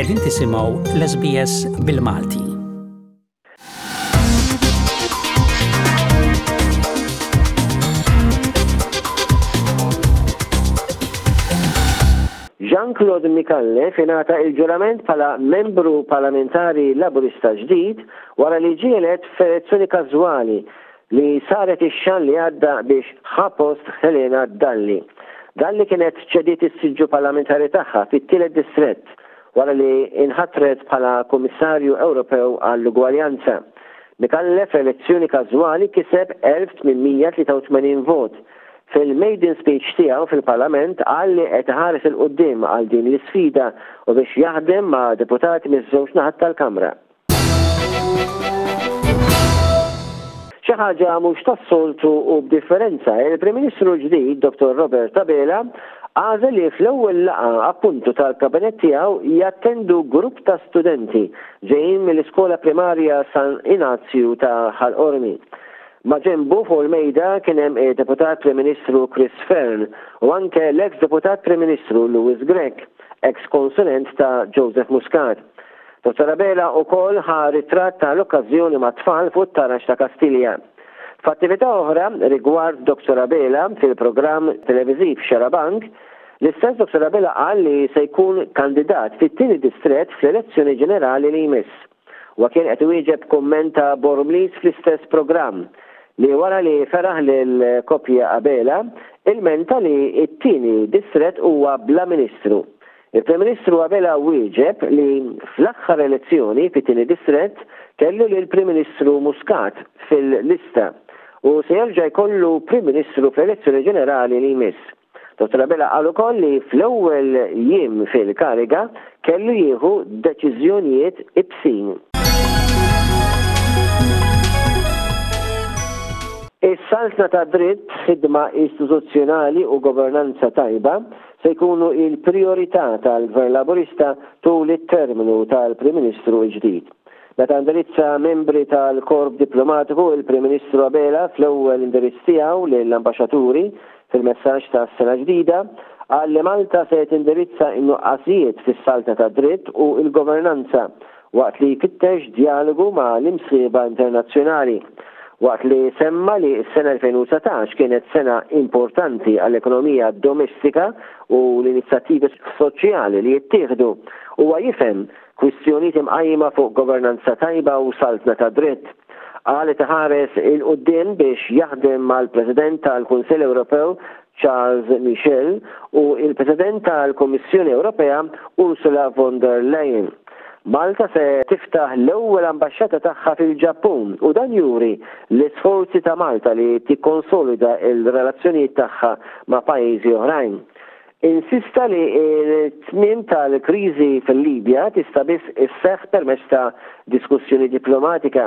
Qegħdin tisimgħu l-SBS bil-Malti. Jean Claude Micallef ingħata il-ġurament bħala membru parlamentari Laburista ġdid wara li ġie elett f'elezzjoni każwali li saret ix-xahar li għadda biex ħa post Helena Dalli. Dalli kienet ċediet is-siġġu parlamentari tagħha fit-tielet distrett wara li inħatret bħala Kummissarju Ewropew għall-Ugwaljanza. Micallef f'elezzjoni każwali kiseb 1,883 vot. Fil-maiden speech tiegħu fil-Parlament qal li qed iħares 'il quddiem għal din l-isfida u biex jaħdem ma' deputati miż-żewġ naħat tal-Kamra. Xi ħaġa mhux tas-soltu u b'differenza, il-Prim Ministru l-ġdid Dottor Robert Abela għażel li fl-ewwel laqgħa appuntu tal-Kabinett tiegħu jattendu grupp ta' studenti ġejjin mill-Iskola Primarja San Inazju ta' Ħal Qormi. Maġenbu fuq il-mejda kien hemm id-Deputat Prim Ministru Chris Fearne u anke l-eks Deputat Prim Ministru Louis Grech, eks konsulent ta' Joseph Muscat. Dottor Abela ukoll ħa ritratt ta' l-okkażjoni mat-tfal fuq it-taraġ ta' Kastilja. F'attività oħra rigward Dottor Abela fil-programm televiżiv Xarabank, l-istess Dottor Abela qal li se jkun kandidat fit-tieni distrett fl-elezzjoni ġenerali li jmiss. Huwa kien qed iwieġeb kumment ta' Bormliż fl-istess programm, li wara li feraħ lill-koppja Abela, ilmenta li t-tieni distrett huwa bla ministru. Il-Prim Ministru Abela wieġeb li fl-aħħar elezzjoni fit-tieni distrett kellu lill-Prim Ministru Muscat fil-lista u se jerġa' jkollu Prim Ministru fl-elezzjoni ġenerali li jmiss. Dottor Abela qal ukoll li fl-ewwel jiem fil-kariga kellu jieħu deċiżjonijiet ibsin. Is-saltna tad-dritt, ħidma istituzzjonali u governanza tajba se jkunu l-prijorità tal-Gvern Laburista tul it-terminu tal-Prim Ministru l-ġdid. Meta indirizza membri tal-Korp Diplomatiku, il-Prim Ministru Abela fl-ewwel indirizz tiegħu lill-ambaxxaturi fil-messaġġ tas-sena ġdida, qal li Malta se tindirizza n-nuqqasijiet fis-saltna tad-dritt u l-governanza waqt li jfittex djalogu ma' l-imsieħba internazzjonali. Waqt li semma li s-sena 2019 kienet sena importanti għall-ekonomija domestika u l-inizjattivi soċjali li jittieħdu, huwa jifhem kwistjonijiet imqajma fuq governanza tajba u saltna tad-dritt. Qal li iħares 'il quddiem biex jaħdem mal-President tal-Kunsill Ewropew Charles Michel u l-President tal-Kummissjoni Ewropea Ursula von der Leyen. Malta se tiftaħ l-ewwel ambaxxata tagħha fil-Ġappun u dan juri l-isforzi ta' Malta li tikkonsolida l-relazzjonijiet tagħha ma' pajjiżi oħrajn. Insista li t-tmiem tal-kriżi fil-Libja tista' biss isseħħ permezz ta' diskussjoni diplomatika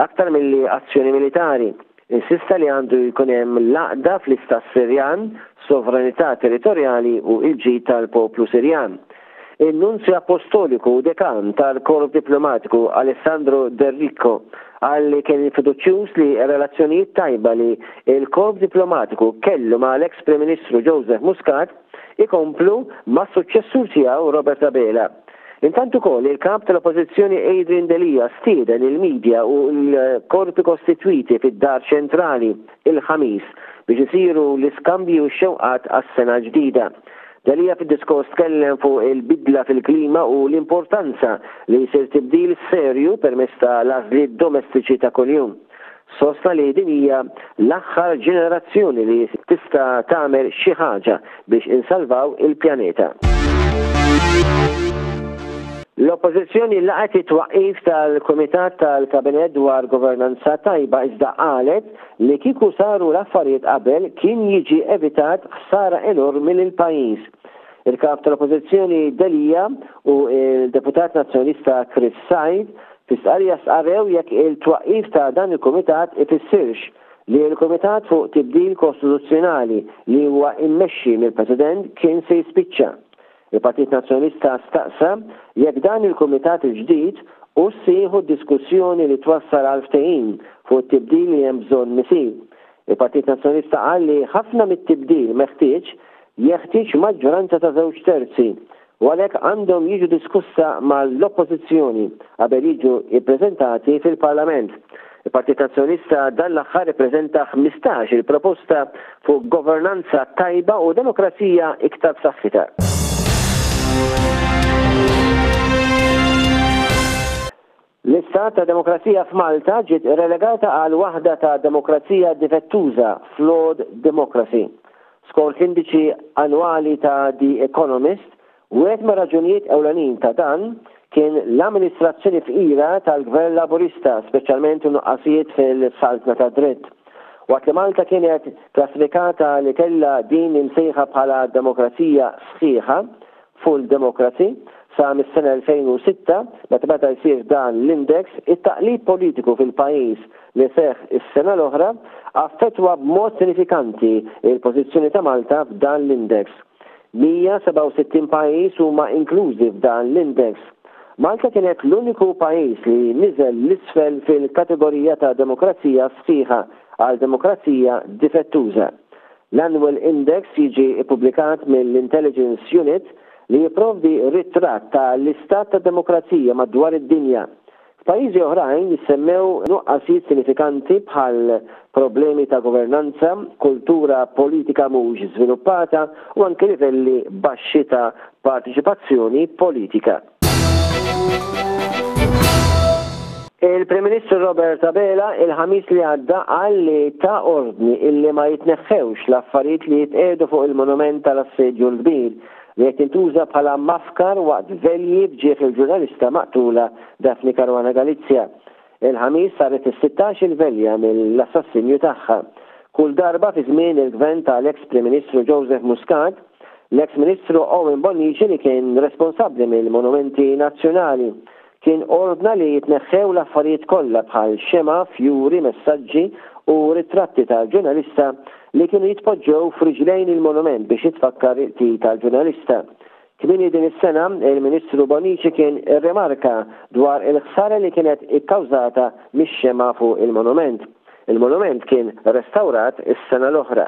aktar milli azzjoni militari. Insista li għandu jkun hemm l-għaqda fl-Istat Sirjan, sovranità territorjali u l-ġid tal-poplu Sirjan. In-Nunzju Appostoliku u Dekan tal-Korp Diplomatiku Alessandro D'Errico qal li kien fiduċjuż li r-relazzjonijiet tajba li l-Korp Diplomatiku kellu mal-eks Prim Ministru Joseph Muscat ikomplu mas-suċċessur tiegħu Robert Abela. Intant ukoll il-Kap tal-Oppożizzjoni Adrian Delia stieden il-media u l-korpi kostitwiti fid-Dar Ċentrali il-Ħamis biex isiru l-iskambji u x-xewqat għas-sena l-ġdida. Delia fid-diskors tkellem fuq il-bidla fil-klima u l-importanza li jsir tibdil serju permezz ta' l-għażliet domestiċi ta' kuljum. Sostna li din hija l-aħħar ġenerazzjoni li tista' tagħmel xi ħaġa biex insalvaw il-pjaneta. L-Oppożizzjoni laqgħet it-twaqqif tal-Kumitat tal-Kabinett dwar Governanza Tajba iżda qalet li kieku saru l-affarijiet qabel kien jiġi evitat ħsara enormi lill-pajjiż. Il-Kap tal-Oppożizzjoni Delia u l-Deputat Nazzjonalista Chris Said Fi stqarrija stqarrew jekk il-twaqqif ta' dan il-kumitat ifissirx li l-Kumitat fuq Tibdil Kostituzzjonali li huwa immexxi mill-President kien se jispiċċa. Il-Partit Nazzjonalista staqsa jekk dan il-kumitat il-ġdid hux se jieħu d-diskussjoni li twassal għal ftehim fuq it-tibdil li hemm bżonn isir. Il-Partit Nazzjonalista qal li ħafna mit-tibdil meħtieġ jeħtieġ maġġoranza ta' żewġ terzi. u għalhekk għandhom jiġu diskussa mal-Oppożizzjoni qabel jiġu ppreżentati fil-Parlament. Il-Partit Nazzjonalista dan l-aħħar ippreżenta 15 il-proposta fuq governanza tajba u demokrazija iktar b'saħħitha. L-istat ta' demokrazija f'Malta ġiet relegata għal waħda ta' demokrazija difettuża, flawed democracy. Skont l-indiċi annwali ta' The Economist, wieħed mir-raġunijiet ewlenin ta' dan kien l-amministrazzjoni fqira tal-Gvern Laburista, speċjalment in-nuqqasijiet fil-saltna tad-dritt. Waqt li Malta kienet klassifikata li kellha din imsejħa bħala demokrazija sħiħa, full democracy, sa mis-sena 2006, meta beda jsir dan l-index, it-taqlib politiku fil-pajjiż li seħħ is-sena l-oħra affettwa b'mod sinifikanti l-pożizzjoni ta' Malta f'dan l-index. 167 pajjiż huma inklużi f'dan l-index. Malta kienet l-uniku pajjiż li niżel 'l isfel fil-kategorija ta' demokrazija sħiħa għal demokrazija difettuża. L-Annual Index jiġi ppubblikat mill-Intelligence Unit li jipprovdi ritratt ta' l-istat tad-demokrazija madwar id-dinja. F'pajjiżi oħrajn jissemmew nuqqasijiet sinifikanti bħal problemi ta' governanza, kultura politika mhux żviluppata u anki livelli baxxi ta' parteċipazzjoni politika. Il-Prim Ministru Robert Abela il-Ħamis li għadda qal li ta ordni illi ma jitneħħewx l-affarijiet li jitqiegħdu fuq il-monument tal-Assedju l-Kbir li qed jintuża bħala mafkar waqt velji b'ġieħ il-ġurnalista maqtula Daphne Caruana Galizia. Il-Ħamis saret is-sittax-il velja mill-assassinju tagħha. Kull darba fi żmien il-Gvern tal-eks Prim Ministru Joseph Muscat, l-eks Ministru Owen Bonnici li kien responsabbli mill-monumenti nazzjonali, kien ordna li jitneħħew l-affarijiet kollha bħal xemgħa, fjuri, messaġġi u ritratti tal-ġurnalista li kienu jitpoġġew f'riġlejn il-monument biex jitfakkar il-qtil tal-ġurnalista. Kmieni din is-sena, il-Ministru Bonnici kien irrimarka dwar il-ħsara li kienet ikkawżata mix-xemgħa fuq il-monument. Il-monument kien restawrat is-sena l-oħra.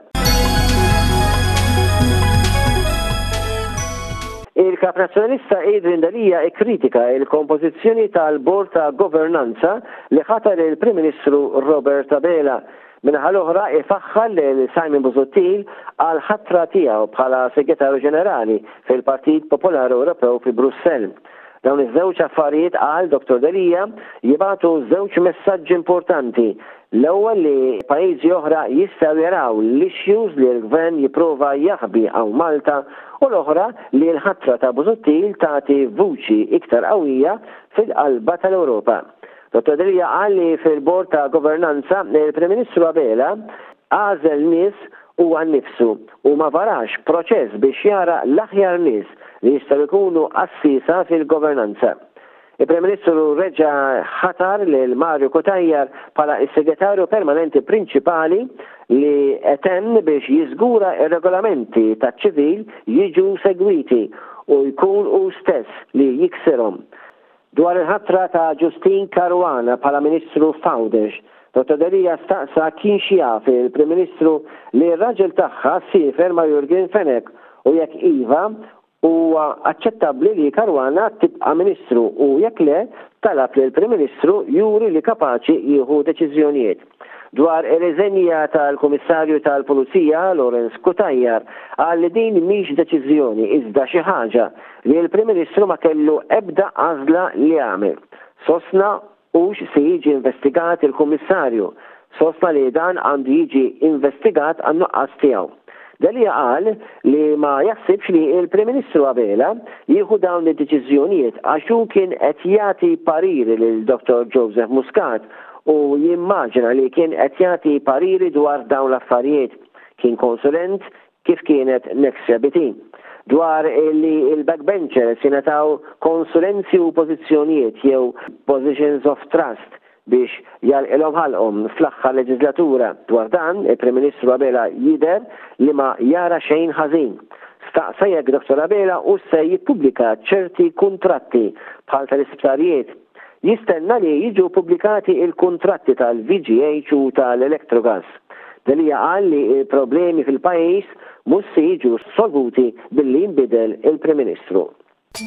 Il-Kap Nazzjonalista Adrian Delia ikkritika l-kompożizzjoni tal-Bord ta' Governanza li ħatar il-Prim Ministru Robert Abela Min-naħa l-oħra ifaħħar lil Simon Busuttil għall-ħatra tiegħu bħala Segretarju Ġenerali fil-Partit Popolari Ewropew fi Brussell. Dawn iż-żewġ affarijiet qal Dottor Delia jibagħtu żewġ messaġġi importanti. L-ewwel li pajjiżi oħra jistgħu jaraw l-issues li l-Gvern jipprova jaħbi hawn Malta u l-oħra li l-ħatra ta' Busuttil tagħti vuċi iktar qawwija fil-qalba tal-Ewropa. Dottor Delia qal li fil-Bord ta' Governanza, il-Prim Ministru Abela għażel nies huwa nnifsu u ma varax proċess biex jara l-aħjar nies li jistgħu jkunu għassiesa fil-governanza. Il-Prim Ministru reġa' ħatar lil Mario Cutajar bħala s-Segretarju Permanenti Prinċipali li qed hemm biex jiżgura r-regolamenti taċ-ċivil jiġu segwiti u jkun hu stess li jiksirhom. Dwar il-ħatra ta' Justyne Caruana bħala Ministru f'Għawdex, Dottor Delia staqsa kienx jaf il-Prim Ministru li r-raġel tagħha siefer ma' Yorgen Fenech u jekk iva, huwa aċċettabbli li Caruana tibqa' Ministru u jekk le, talab lill-Prim Ministru juri li kapaċi jieħu deċiżjonijiet. Dwar ir-riżenja tal-Kummissarju tal-Pulizija Lawrence Cutajar qal li din mhix deċiżjoni iżda xi ħaġa li l-Prim Ministru ma kellu ebda għażla li jagħmel. Sostna hux se jiġi investigat il-Kummissarju. Sostna li dan għandu jiġi investigat għan-nuqqas tiegħu. Delia qal li ma jaħsibx li l-Prim Ministru Abela jieħu dawn id-deċiżjonijiet għax hu kien qed jagħti pariri lil Dottor Joseph Muscat u jimmaġina li kien qed jagħti pariri dwar dawn l-affarijiet. Kien konsulent kif kienet Nexia BT. Dwar li l-backbenchers jingħataw konsulenzi u pożizzjonijiet jew positions of trust biex jagħlqilhom ħalqhom fl-aħħar leġiżlatura. Dwar dan, il-Prim Ministru Abela jidher li ma jara xejn ħażin. Staqsa jekk Dottor Abela hux se jippubblika ċerti kuntratti bħal tal-isptarijiet. Jistenna li jiġu ppubblikati l-kuntratti tal-VGH u tal-Electrogas. Delia qal li l-problemi fil-pajjiż mhux se jiġu solvuti billi jinbidel il-Prim Ministru. Trid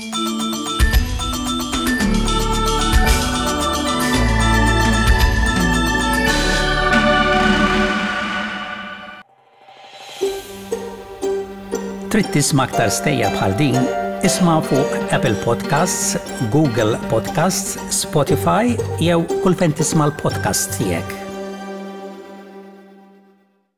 tisma' aktar stejjer bħal din? Isma' fuq Apple Podcasts, Google Podcasts, Spotify jew kull fejn tisma' l-podcasts tiegħek.